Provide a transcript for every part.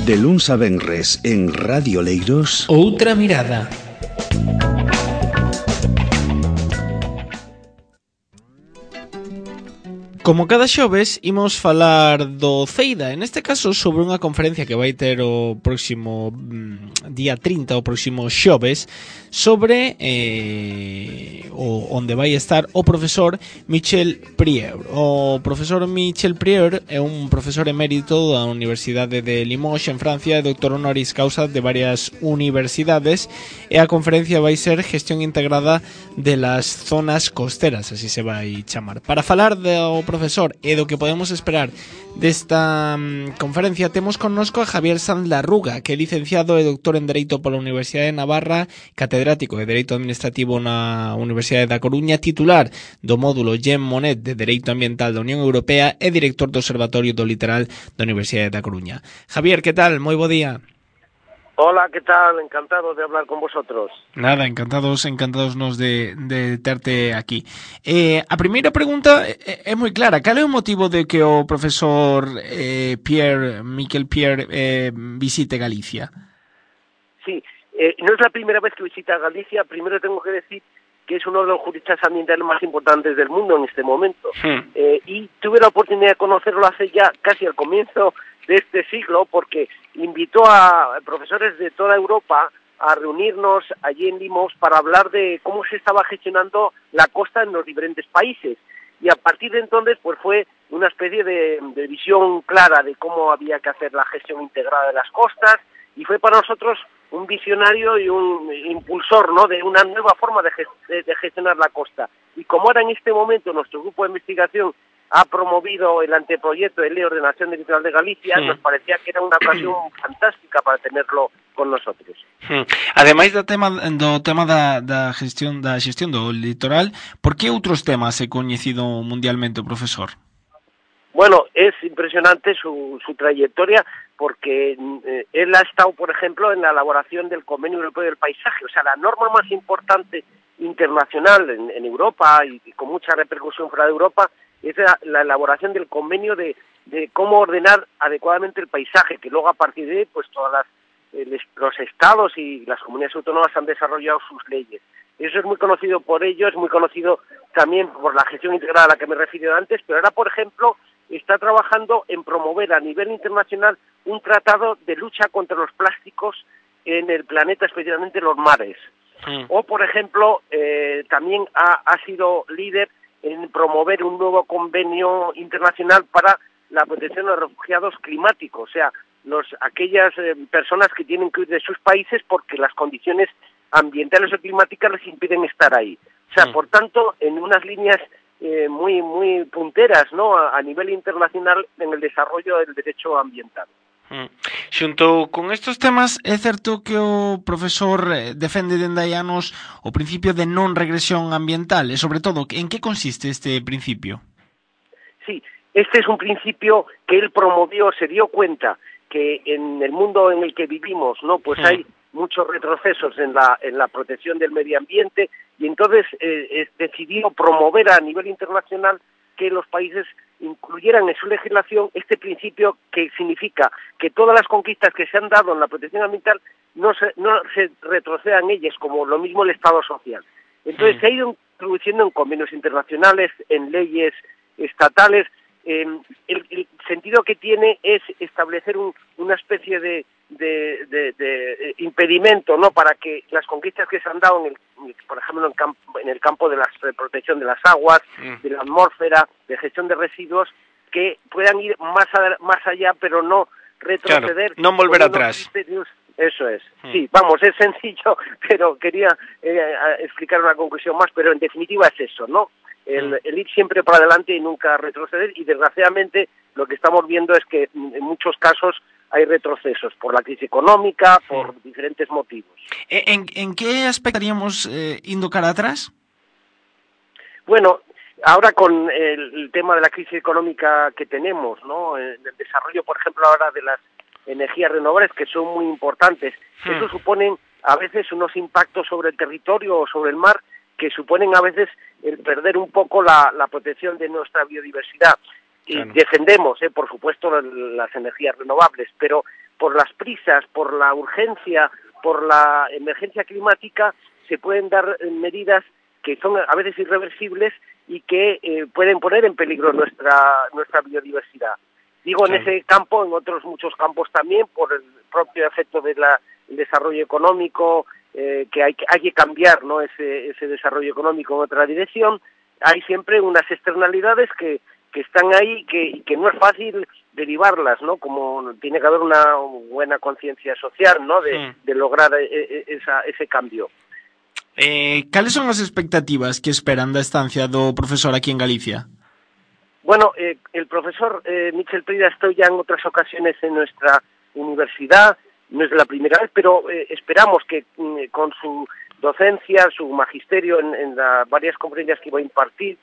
De luns a venres en Radio Leiros, Outra mirada. Como cada xoves, imos falar do Ceida, en este caso sobre unha conferencia que vai ter o próximo día 30, o próximo xoves, sobre onde vai estar o profesor Michel Prieur. O profesor Michel Prieur é un profesor emérito da Universidade de Limoges en Francia e doctor honoris causa de varias universidades, e a conferencia vai ser Gestión Integrada de las Zonas Costeras, así se vai chamar. Para falar do profesor e do que podemos esperar desta conferencia, temos connosco a Javier Sanz Larruga, que é licenciado e doctor en Dereito pola Universidade de Navarra, catedrático de Dereito Administrativo na Universidade da Coruña, titular do módulo Jean Monnet de Dereito Ambiental da Unión Europea e director do Observatorio do Litoral da Universidade da Coruña. Javier, que tal? Moi bo día. Hola, ¿qué tal? Encantado de hablar con vosotros. Nada, encantados nos de terte aquí. A primeira pregunta é moi clara. Cal é o motivo de que o profesor Michel Prieur visite Galicia? Sí, no es la primera vez que visita Galicia. Primero tengo que decir que es uno de los juristas ambientales más importantes del mundo en este momento. Y tuve la oportunidad de conocerlo hace ya casi al comienzo de este siglo, porque invitó a profesores de toda Europa a reunirnos allí en Limoges para hablar de cómo se estaba gestionando la costa en los diferentes países. Y a partir de entonces pues fue una especie de visión clara de cómo había que hacer la gestión integrada de las costas, y fue para nosotros un visionario y un impulsor, ¿no?, de una nueva forma de gestionar la costa. Y como ahora en este momento nuestro grupo de investigación ha promovido el anteproyecto de ley de ordenación del litoral de Galicia, nos parecía que era una ocasión fantástica para tenerlo con nosotros. Ademais do tema da gestión do litoral, por que outros temas é coñecido mundialmente o profesor? Bueno, es impresionante su trayectoria, porque él ha estado, por ejemplo, en la elaboración del Convenio Europeo del Paisaje, o sea, la norma más importante internacional en Europa y con mucha repercusión fuera de Europa, es la elaboración del convenio de cómo ordenar adecuadamente el paisaje, que luego a partir de ahí, pues todas los estados y las comunidades autónomas han desarrollado sus leyes. Eso es muy conocido por ello, es muy conocido también por la gestión integrada a la que me he referido antes, pero ahora, por ejemplo, está trabajando en promover a nivel internacional un tratado de lucha contra los plásticos en el planeta, especialmente en los mares. O, por ejemplo, también ha sido líder en promover un nuevo convenio internacional para la protección de los refugiados climáticos, o sea, aquellas personas que tienen que huir de sus países porque las condiciones ambientales o climáticas les impiden estar ahí. O sea, por tanto, en unas líneas muy punteras, ¿no?, a nivel internacional en el desarrollo del derecho ambiental. Xunto con estes temas, é certo que o profesor defende dende hai anos o principio de non regresión ambiental, e sobre todo, en que consiste este principio? Sí, este es un principio que él promovió, se dio cuenta que en el mundo en el que vivimos, ¿no?, pues hay muchos retrocesos en la protección del medio ambiente, y entonces decidió promover a nivel internacional que los países incluyeran en su legislación este principio, que significa que todas las conquistas que se han dado en la protección ambiental no se retrocedan ellas, como lo mismo el Estado social. Entonces se ha ido introduciendo en convenios internacionales, en leyes estatales. El sentido que tiene es establecer una especie de impedimento, ¿no?, para que las conquistas que se han dado, por ejemplo, en el campo de la protección de las aguas, de la atmósfera, de gestión de residuos, que puedan ir más allá, pero no retroceder. Claro, no volver atrás. Eso es. Sí, vamos, es sencillo, pero quería explicar una conclusión más, pero en definitiva es eso, ¿no? El ir siempre para adelante y nunca retroceder, y desgraciadamente lo que estamos viendo es que en muchos casos hay retrocesos por la crisis económica, por diferentes motivos. ¿En qué aspecto estaríamos indo cara atrás? Bueno, ahora con el tema de la crisis económica que tenemos, ¿no?, el desarrollo, por ejemplo, ahora de las energías renovables, que son muy importantes, eso suponen a veces unos impactos sobre el territorio o sobre el mar que suponen a veces el perder un poco la protección de nuestra biodiversidad. Claro. Defendemos, por supuesto, las energías renovables, pero por las prisas, por la urgencia, por la emergencia climática, se pueden dar medidas que son a veces irreversibles y que pueden poner en peligro nuestra biodiversidad. Digo, en ese campo, en otros muchos campos también, por el propio efecto del desarrollo económico, que hay que cambiar, ¿no?, ese desarrollo económico en otra dirección. Hay siempre unas externalidades que están ahí y que no es fácil derivarlas, ¿no? Como tiene que haber una buena conciencia social, ¿no?, de lograr ese cambio. Cales son as expectativas que esperan da estancia do profesor aquí en Galicia? Bueno, el profesor Michel Prida estoy ya en otras ocasiones en nuestra universidad, no es la primera vez, pero esperamos que con su docencia, su magisterio en las varias conferencias que va a impartir,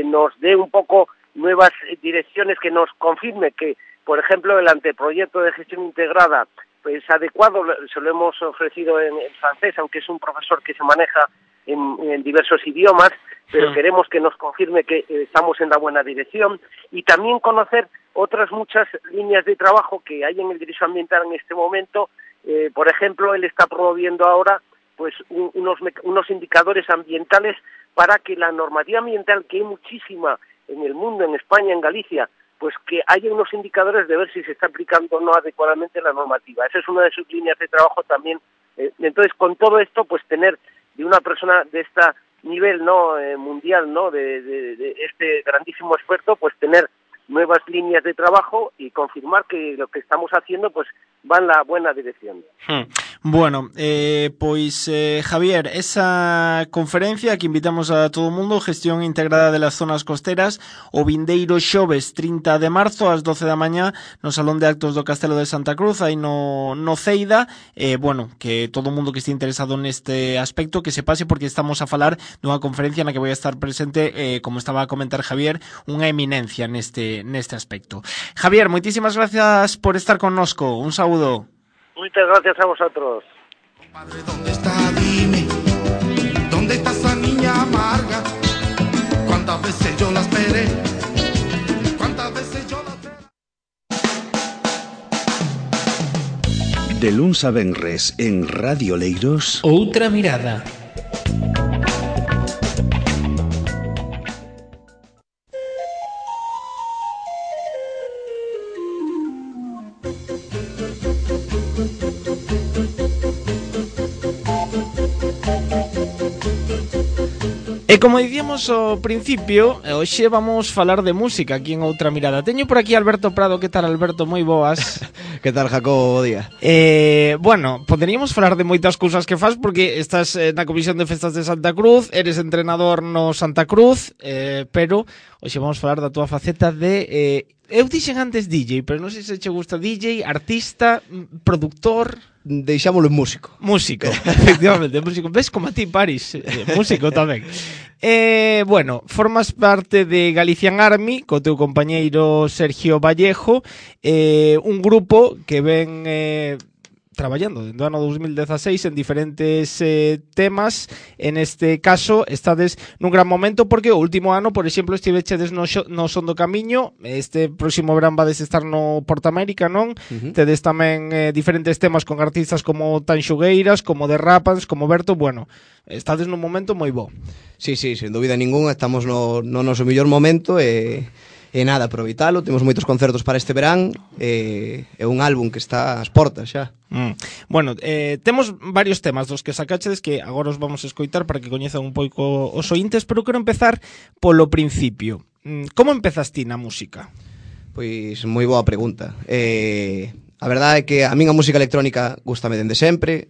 nos dé un poco nuevas direcciones, que nos confirme que, por ejemplo, el anteproyecto de gestión integrada pues adecuado, se lo hemos ofrecido en francés, aunque es un profesor que se maneja en diversos idiomas, pero queremos que nos confirme que estamos en la buena dirección, y también conocer otras muchas líneas de trabajo que hay en el derecho ambiental en este momento. Por ejemplo, él está promoviendo ahora pues unos indicadores ambientales para que la normativa ambiental, que hay muchísima en el mundo, en España, en Galicia, pues que haya unos indicadores de ver si se está aplicando o no adecuadamente la normativa. Esa es una de sus líneas de trabajo también. Entonces, con todo esto, pues tener de una persona de este nivel, ¿no?, mundial, ¿no?, de este grandísimo experto, pues tener nuevas líneas de trabajo y confirmar que lo que estamos haciendo pues va en la buena dirección. Bueno, pois Javier, esa conferencia que invitamos a todo o mundo, Gestión Integrada de las Zonas Costeras, o vindeiro xoves 30 de marzo ás 12 da mañá no Salón de Actos do Castelo de Santa Cruz, aí no Ceida. Bueno, que todo o mundo que esté interesado neste aspecto que se pase, porque estamos a falar dunha conferencia na que vai a estar presente, como estaba a comentar Javier, unha eminencia neste aspecto. Javier, moitísimas gracias por estar connosco. Un saúdo. Muchas gracias a vosotros. Padre, ¿dónde está? Dime, ¿dónde está esa niña amarga? ¿Cuántas veces yo la esperé? ¿Cuántas veces yo la esperé? De luns a venres en Radio Leiros, Outra mirada. E como dicíamos ao principio, hoxe vamos falar de música aquí en Outra Mirada. Teño por aquí Alberto Prado. Que tal, Alberto? Moi boas. Que tal, Jacobo? Bo día. Bueno, poderíamos falar de moitas cousas que fas, porque estás na Comisión de Festas de Santa Cruz, eres entrenador no Santa Cruz, pero hoxe vamos falar da túa faceta de... eu dixen antes DJ, pero non sei se che gusta DJ, artista, productor... Deixámoslo en músico. Músico, efectivamente, músico. Ves como a ti, Paris, músico tamén. Bueno, formas parte de Galician Army co teu compañeiro Sergio Vallejo, un grupo que ven traballando dentro do ano 2016 en diferentes temas. En este caso estades nun gran momento, porque o último ano, por exemplo, estivechedes no Son do Camiño. Este próximo verán vades estar no Porta América, non? Tedes tamén diferentes temas con artistas como Tanxugueiras, como The Rapans, como Berto. Bueno, estades nun momento moi bo. Sí, sen dúbida ninguna, estamos no noso mellor momento e nada, aproveitalo. Temos moitos concertos para este verán, é un álbum que está ás portas xa. Bueno, temos varios temas dos que sacachedes que agora os vamos a escoitar para que coñezan un pouco os ointes, pero quero empezar polo principio. Como empezas ti na música? Pois moi boa pregunta. A verdade é que a min a música electrónica gústame dende sempre,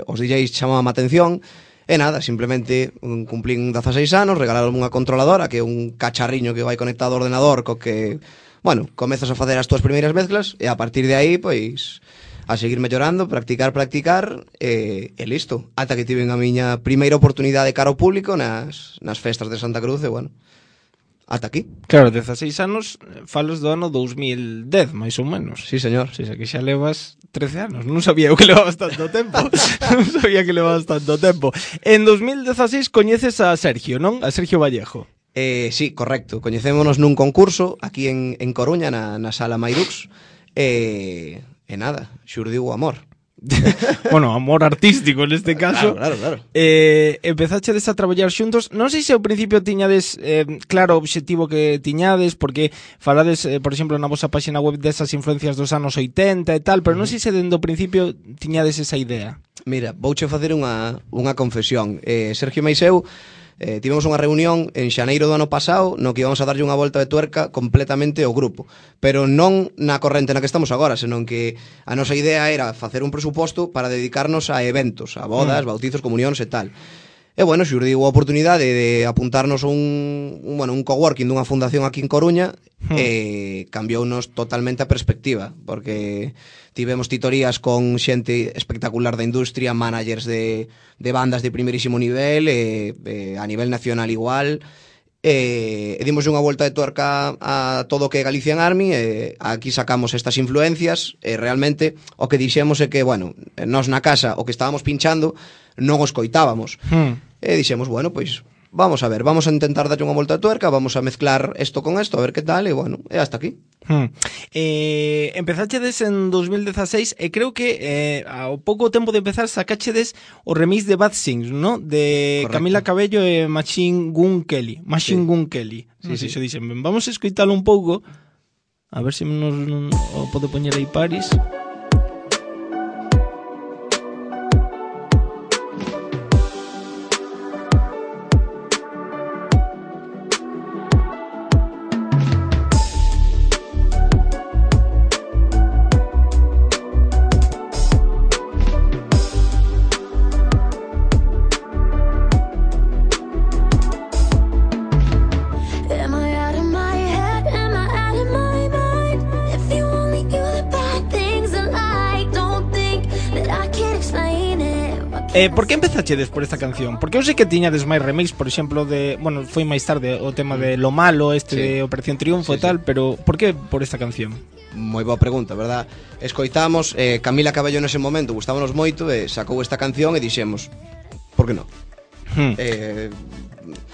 os DJs chamaban a atención. E nada, simplemente cumplín 16 anos, regalaron unha controladora, que é un cacharriño que vai conectado ao ordenador, co que, bueno, comezas a facer as túas primeiras mezclas, e a partir de aí, pois, a seguir mellorando, practicar, e listo. Ata que tiven a miña primeira oportunidade cara ao público nas festas de Santa Cruz, e bueno, ata aquí. Claro, 16 anos, falos do ano 2010, máis ou menos. Sí, señor. Si, que xa levas 13 anos. Non sabía eu que levabas tanto tempo. Non sabía que levabas tanto tempo. En 2016 coñeces a Sergio, non? A Sergio Vallejo. Sí, correcto. Coñecémonos nun concurso aquí en Coruña, na Sala Mairux. E nada, xurdiu o amor. Bueno, amor artístico neste caso. Claro. Empezachedes a traballar xuntos. Non sei se ao principio tiñades claro o obxectivo que tiñades, porque falades, por exemplo, na vosa página web desas influencias dos anos 80 e tal, pero non sei se dende o principio tiñades esa idea. Mira, vouche facer unha confesión. Sergio Meiseu, tivemos unha reunión en xaneiro do ano pasado no que íbamos a darlle unha volta de tuerca completamente ao grupo, pero non na corrente na que estamos agora, senón que a nosa idea era facer un presuposto para dedicarnos a eventos, a bodas, bautizos, comunións e tal. E bueno, xurdiu a oportunidade de apuntarnos un coworking dunha fundación aquí en Coruña e cambiounos totalmente a perspectiva, porque tivemos titorías con xente espectacular da industria, managers de bandas de primeirísimo nivel, a nivel nacional igual, e dimos unha volta de tuerca a todo o que é Galician Army, e aquí sacamos estas influencias, e realmente o que dixemos é que, bueno, nós na casa o que estábamos pinchando non os coitábamos. E dixemos, bueno, pois vamos a ver, vamos a intentar darlle unha volta de tuerca, vamos a mezclar isto con isto, a ver que tal, e bueno, e hasta aquí. Empezachedes en 2016 e creo que ao pouco tempo de empezar sacachedes o remix de Bad Things, ¿no? De correcto. Camila Cabello e Machine Gun Kelly. Sí. Xo dixen, vamos a escoitalo un pouco, a ver se nos o pode poñer aí Paris. Por que empezachedes por esta canción? Porque eu sei que tiñades máis remix, por exemplo, de, bueno, foi máis tarde o tema de Lo Malo, de Operación Triunfo e tal, pero por que por esta canción? Moi boa pregunta, verdad? Escoitamos, Camila Cabello nese momento gustábanos moito e sacou esta canción e dixemos, por que non?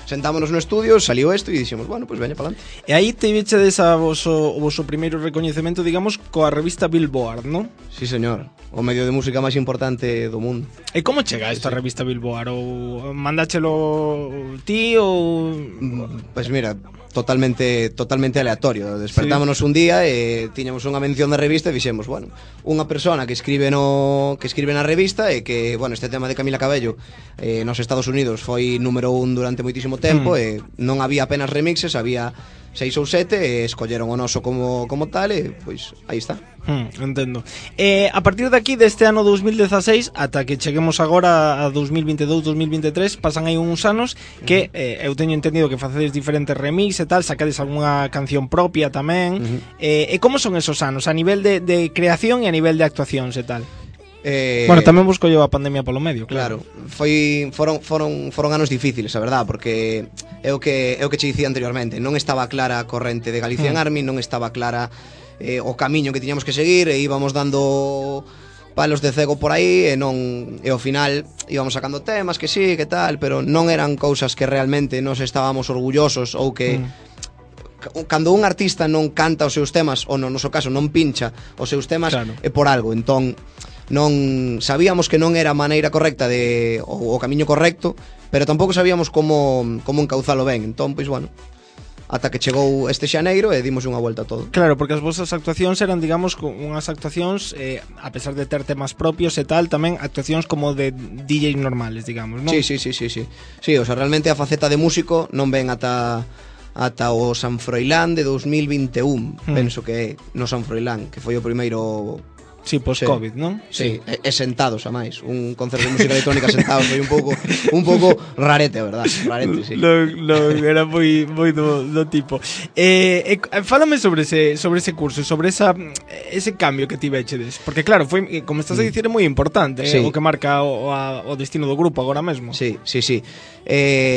Sentámonos no estudio, saliu isto e dixemos, bueno, pois veña palante. E aí te vichedes a o voso primeiro recoñecemento, digamos, coa revista Billboard, non? Sí, señor. O medio de música máis importante do mundo. E como chega esta revista Billboard? Ou mandáchelo ti ou... Pois mira, totalmente aleatorio. Despertámonos un día e tiñamos unha mención da revista e dixemos, bueno, unha persona que escribe na revista e que, bueno, este tema de Camila Cabello nos Estados Unidos foi número 1 durante moitísimo tempo e non había apenas remixes, había 6 ou 7 e escolleron o noso como tal e pois aí está. Entendo. A partir de aquí, deste ano 2016 ata que cheguemos agora a 2022-2023, pasan aí uns anos que eu teño entendido que facedes diferentes remix e tal, sacades algunha canción propia tamén. E como son esos anos a nivel de creación e a nivel de actuacións e tal? Bueno, tamén busco eu a pandemia polo medio, claro. Foron anos difíciles, a verdad, porque é o que che dicía anteriormente, non estaba clara a corrente de Galician Army, non estaba clara o camiño que tiñamos que seguir e íbamos dando palos de cego por aí e ao final íbamos sacando temas que sí, que tal, pero non eran cousas que realmente nos estábamos orgullosos ou que cando un artista non canta os seus temas ou no noso caso non pincha os seus temas, claro, é por algo. Entón non sabíamos que non era a maneira correcta o camiño correcto, pero tampouco sabíamos como encauzalo ben. Entón, pois bueno, ata que chegou este xaneiro e dimos unha volta a todo. Claro, porque as vosas actuacións eran, digamos, unhas actuacións a pesar de ter temas propios e tal, tamén actuacións como de DJs normales, digamos, non? Sí, o sea, realmente a faceta de músico non ven ata o San Froilán de 2021, penso que é no San Froilán, que foi o primeiro... Sí, post-Covid, non? Sí, e sentados, a máis. Un concerto de música electrónica sentados foi un pouco rarete, a verdad. Rarete, sí. Era moi do tipo. Fálame sobre ese curso, sobre ese cambio que tivechedes. Porque claro, foi, como estás a dicir, é moi importante, sí, o que marca o destino do grupo agora mesmo. Sí.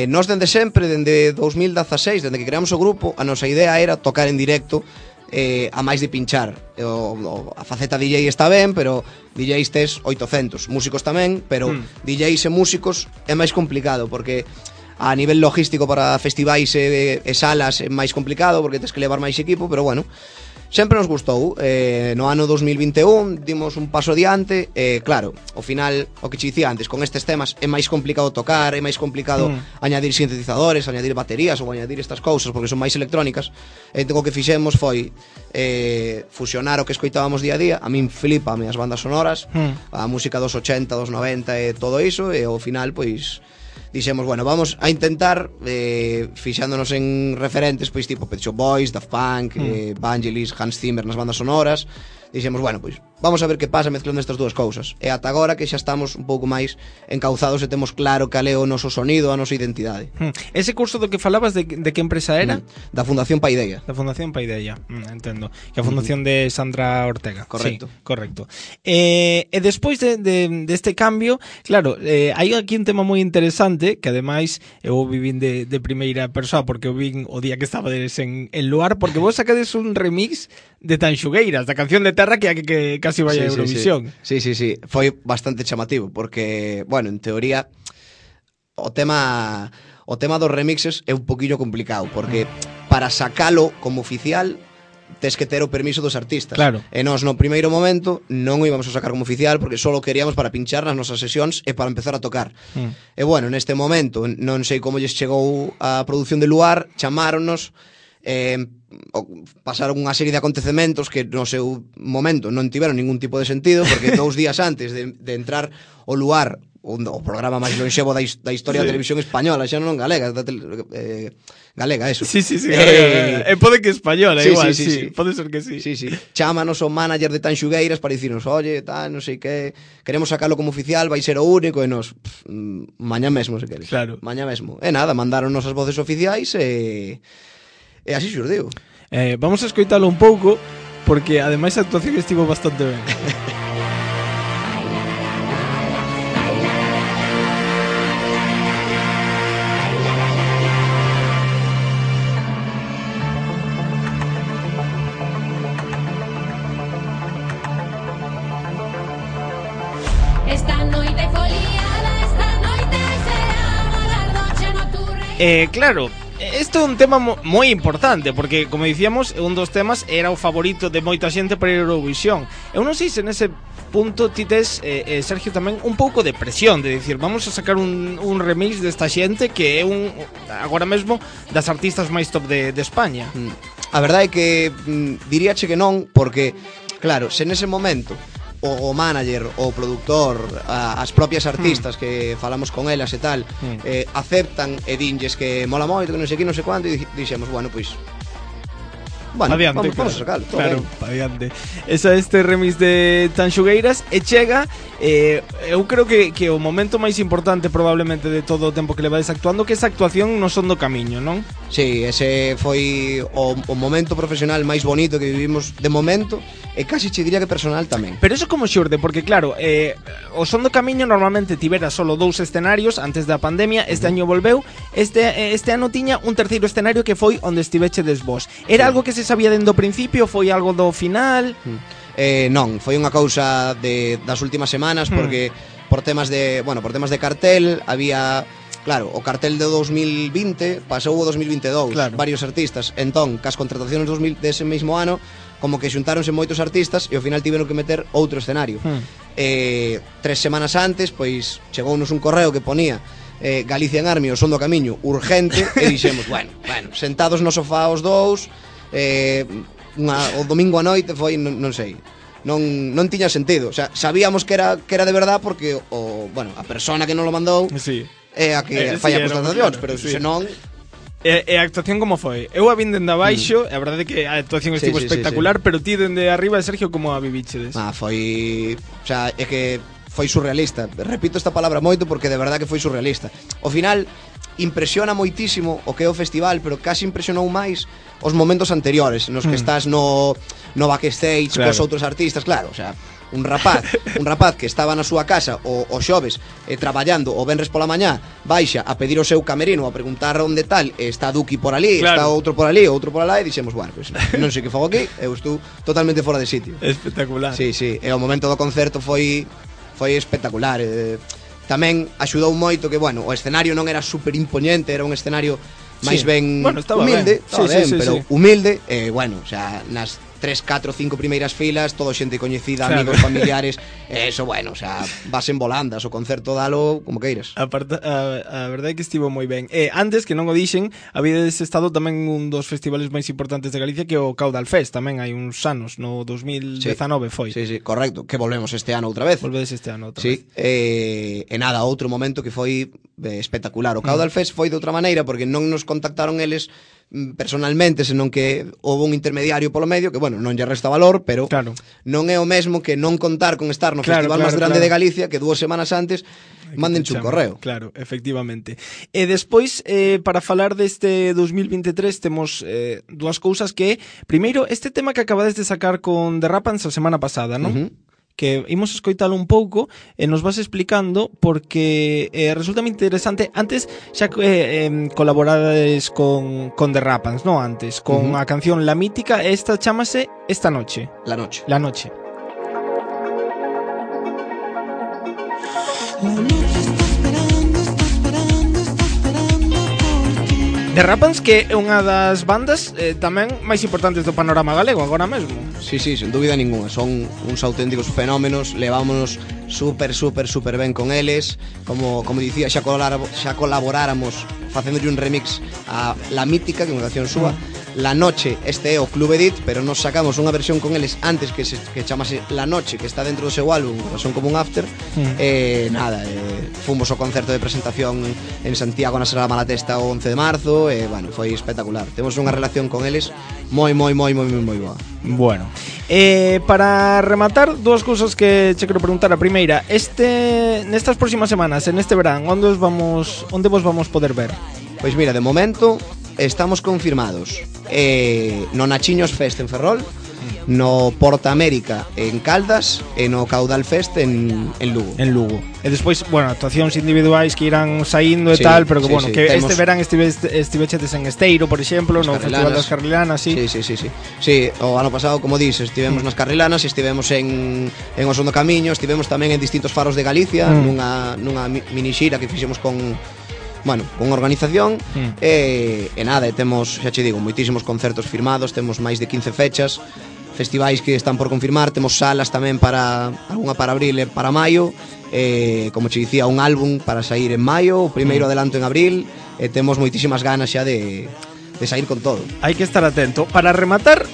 Nós dende sempre, dende 2016, dende que creamos o grupo, a nosa idea era tocar en directo, a máis de pinchar. A faceta DJ está ben, pero DJs tes 800, músicos tamén, pero DJs e músicos é máis complicado, porque A nivel logístico para festivais e salas é máis complicado porque tens que levar máis equipo, pero bueno, sempre nos gustou. No ano 2021 dimos un paso adiante. Claro, ao final, o que che dicía antes, con estes temas é máis complicado tocar, é máis complicado añadir sintetizadores, añadir baterías ou añadir estas cousas porque son máis electrónicas. O que fixemos foi fusionar o que escoitábamos día a día. A min flipame as bandas sonoras, a música dos 80, dos 90 e todo iso, e ao final, pois dixemos, bueno, vamos a intentar fixándonos en referentes pois tipo Pet Shop Boys, Daft Punk, Vangelis, Hans Zimmer nas bandas sonoras. Dixemos, bueno, pois vamos a ver que pasa mezclando estas dúas cousas. E ata agora que xa estamos un pouco máis encauzados e temos claro cal é o noso sonido, a nosa identidade. Ese curso do que falabas de que empresa era? Da Fundación Paideia. Da Fundación Paideia, entendo. Que a fundación de Sandra Ortega. Correcto. Sí, correcto. E despois deste cambio, claro, hai aquí un tema moi interesante que ademais eu vivín de primeira persoa porque o vin o día que estabades en Luar, porque vos sacades un remix de Tanxugueiras, da canción de Terra que casi vai a Eurovisión. Sí. Foi bastante chamativo porque, bueno, en teoría o tema dos remixes é un poquillo complicado porque para sacalo como oficial tes que ter o permiso dos artistas. Claro. E nós no primeiro momento non o íbamos a sacar como oficial porque só o queríamos para pinchar nas nosas sesións e para empezar a tocar. E bueno, neste momento non sei como lles chegou a produción de Luar, chamáronnos, pasaron unha serie de acontecementos que no seu momento non tiveron ningún tipo de sentido porque 2 días antes de entrar o Luar, o programa máis lonxevo da historia da televisión española, xa non galega, galega, eso. Sí, galega. Pode que española, igual, sí. Pode ser que sí. Sí. Chámanos o manager de Tanxugueiras para dicirnos, oye, tal, non sei que, queremos sacarlo como oficial, vai ser o único, e nos, mañá mesmo, se queres. Claro. Mañá mesmo. E nada, mandaron as voces oficiais e así xurdiu. Vamos a escoitalo un pouco porque ademais a actuación estivo bastante ben. Esta noite foliada, esta noite será galardoche nocturne. Claro, isto é un tema moi importante porque, como dicíamos, un dos temas era o favorito de moita xente para Eurovisión. Eu non sei se nese punto ti tes, Sergio, tamén un pouco de presión de dicir, vamos a sacar un remix desta xente que é agora mesmo das artistas máis top de España. A verdade é que diríache que non, porque claro, se nese momento o manager, o productor, as propias artistas que falamos con elas e tal, aceptan e dinlles que mola moito, que non sei que, non sei cuánto, e dixemos, bueno, pois adiante, vamos a sacarlo. Claro, adiante. Este remix de Tanxugueiras e chega, eu creo que o momento máis importante probablemente de todo o tempo que levades actuando, que esa actuación no Son do Camiño, non? Sí, ese foi o momento profesional máis bonito que vivimos de momento, e casi che diría que personal tamén. Pero eso como xurde, porque claro, o Son do Camiño normalmente tivera solo 2 escenarios antes da pandemia, este año volveu, este ano tiña un terceiro escenario que foi onde estivechedes vos. Era algo que se sabía dende o principio, foi algo do final? Non, foi unha cousa das últimas semanas porque por temas de cartel había, claro, o cartel de 2020 pasou o 2022, claro. Varios artistas, entón, cas contratacións dese mesmo ano, como que xuntáronse moitos artistas e ao final tiveron que meter outro escenario. 3 semanas antes, pois chegounos un correo que ponía Galicia en Army, o Son do Camiño, urgente, e dixemos, bueno, sentados no sofá os dous, o domingo a noite foi, non sei, non tiña sentido, o sea, sabíamos que era de verdad porque a persona que non lo mandou é a que fai a constatacións, pero senón. E a actuación como foi? Eu a vin dende abaixo, a verdade é que a actuación estivo espectacular, pero ti dende arriba, Sergio, como a vivichedes? Foi, o sea, é que foi surrealista. Repito esta palabra moito porque de verdade que foi surrealista. Ao final impresiona moitísimo o que é o festival, pero casi impresionou máis os momentos anteriores nos que estás no backstage, claro, cos outros artistas, claro, o sea, un rapaz que estaba na súa casa o xoves traballando o venres pola mañá, baixa a pedir o seu camerino, a preguntar onde tal, está Duki por ali, claro, está outro por ali, outro por alá, e dixemos, bueno, pues, non sei que fago aquí, eu estou totalmente fora de sitio. Espectacular. Sí, e o momento do concerto foi espectacular. Tamén axudou moito que, bueno, o escenario non era super impoñente, era un escenario máis ben bueno, estaba humilde, ben. estaba Sí, ben, sí, pero sí. humilde, bueno, o sea, nas 3, 4, 5 primeiras filas, todo xente coñecida, Claro. amigos, familiares, eso, bueno, o sea, vas en volandas, o concerto dalo como queiras. A verdade é que estivo moi ben. Antes, que non o dixen, habides estado tamén un dos festivales máis importantes de Galicia, que é o Caudal Fest, tamén hai uns anos, no 2019 foi. Sí, sí, correcto, que volvemos este ano outra vez. Volvedes este ano outra Sí, vez. e nada, outro momento que foi espectacular. O Caudal Fest foi de outra maneira porque non nos contactaron eles personalmente, senón que houve un intermediario polo medio que, bueno, non lle resta valor, pero Claro. non é o mesmo que non contar con estar no Claro, festival máis claro, grande claro. de Galicia, que 2 semanas antes mándenche un correo. Claro, efectivamente. E despois, para falar deste 2023, temos dúas cousas que... Primeiro, este tema que acabades de sacar con The Rapans a semana pasada, non? Que imos escoitalo un pouco e nos vas explicando porque resulta moi interesante. Antes xa colaborades con The Rapans, non antes, con a canción La Mítica, e esta chámase Esta Noche. La noche. La Noche. The Rapans, que é unha das bandas tamén máis importantes do panorama galego agora mesmo. Sí, sí, sen dúbida ninguna. Son uns auténticos fenómenos. Levámonos super ben con eles. Como dicía, xa colaboráramos facéndolle un remix a La Mítica, que é unha canción súa. La Noche, este é o Club Edit, pero nos sacamos unha versión con eles antes que chamase La Noche, que está dentro do seu álbum, son como un after. Nada, fomos ao concerto de presentación en Santiago na Sala Malatesta o 11 de marzo, e bueno, foi espectacular. Temos unha relación con eles moi boa. Bueno, para rematar, dúas cousas que che quero preguntar. A primeira, nestas próximas semanas, en este verán, onde vos vamos poder ver? Pois mira, de momento estamos confirmados no Nachiños Fest en Ferrol, no Porta América en Caldas e no Caudal Fest en Lugo. En Lugo. E despois, bueno, actuacións individuais que irán saindo e Sí, tal, pero que sí, bueno, sí. que Temos... este verán estivechetes en Esteiro, por exemplo, no Festival das Carrilanas, sí. Sí, o ano pasado, como dices, estivemos nas Carrilanas, estivemos en Oso do Camiño, estivemos tamén en distintos faros de Galicia, nunha mini xira que fixemos con organización, e nada, temos, xa che digo, moitísimos concertos firmados, temos máis de 15 fechas, festivais que están por confirmar, temos salas tamén algunha para abril e para maio, como che dicía, un álbum para sair en maio, o primeiro adelanto en abril, e temos moitísimas ganas xa de sair con todo. Hai que estar atento. Para rematar,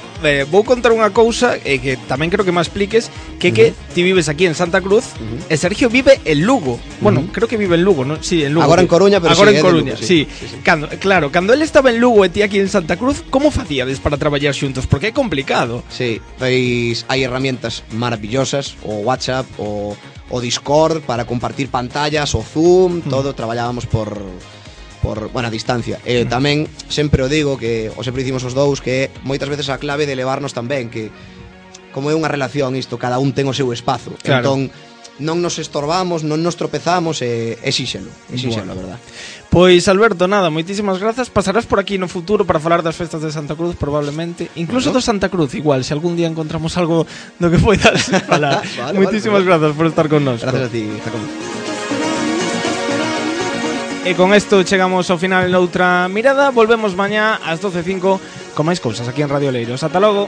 vou contar unha cousa que tamén creo que me expliques, que ti vives aquí en Santa Cruz e Sergio vive en Lugo. Bueno, creo que vive en Lugo, ¿no? Sí, en Lugo. Agora en Coruña, pero agora sí, en Coruña, Lugo, sí. sí. Cando él estaba en Lugo e ti aquí en Santa Cruz, como facíades para traballar xuntos? Porque é complicado. Sí, pois hai herramientas maravillosas, o WhatsApp, o Discord para compartir pantallas, o Zoom, todo traballábamos por a distancia. Tamén sempre o digo, que o sempre dicimos os dous, que moitas veces a clave de levarnos tamén, que como é unha relación isto, cada un ten o seu espazo. Claro. Entón non nos estorbamos, non nos tropezamos, é xíxelo, a verdad. Pois Alberto, nada, moitísimas grazas. Pasarás por aquí no futuro para falar das festas de Santa Cruz, probablemente, incluso do Santa Cruz, igual, se algún día encontramos algo do que poidas falar. Moitísimas grazas por estar con nós. Gracias a ti, Jacob. E con isto chegamos ao final en outra mirada. Volvemos mañá ás 12:05 con máis cousas aquí en Radio Oleiros. Ata logo.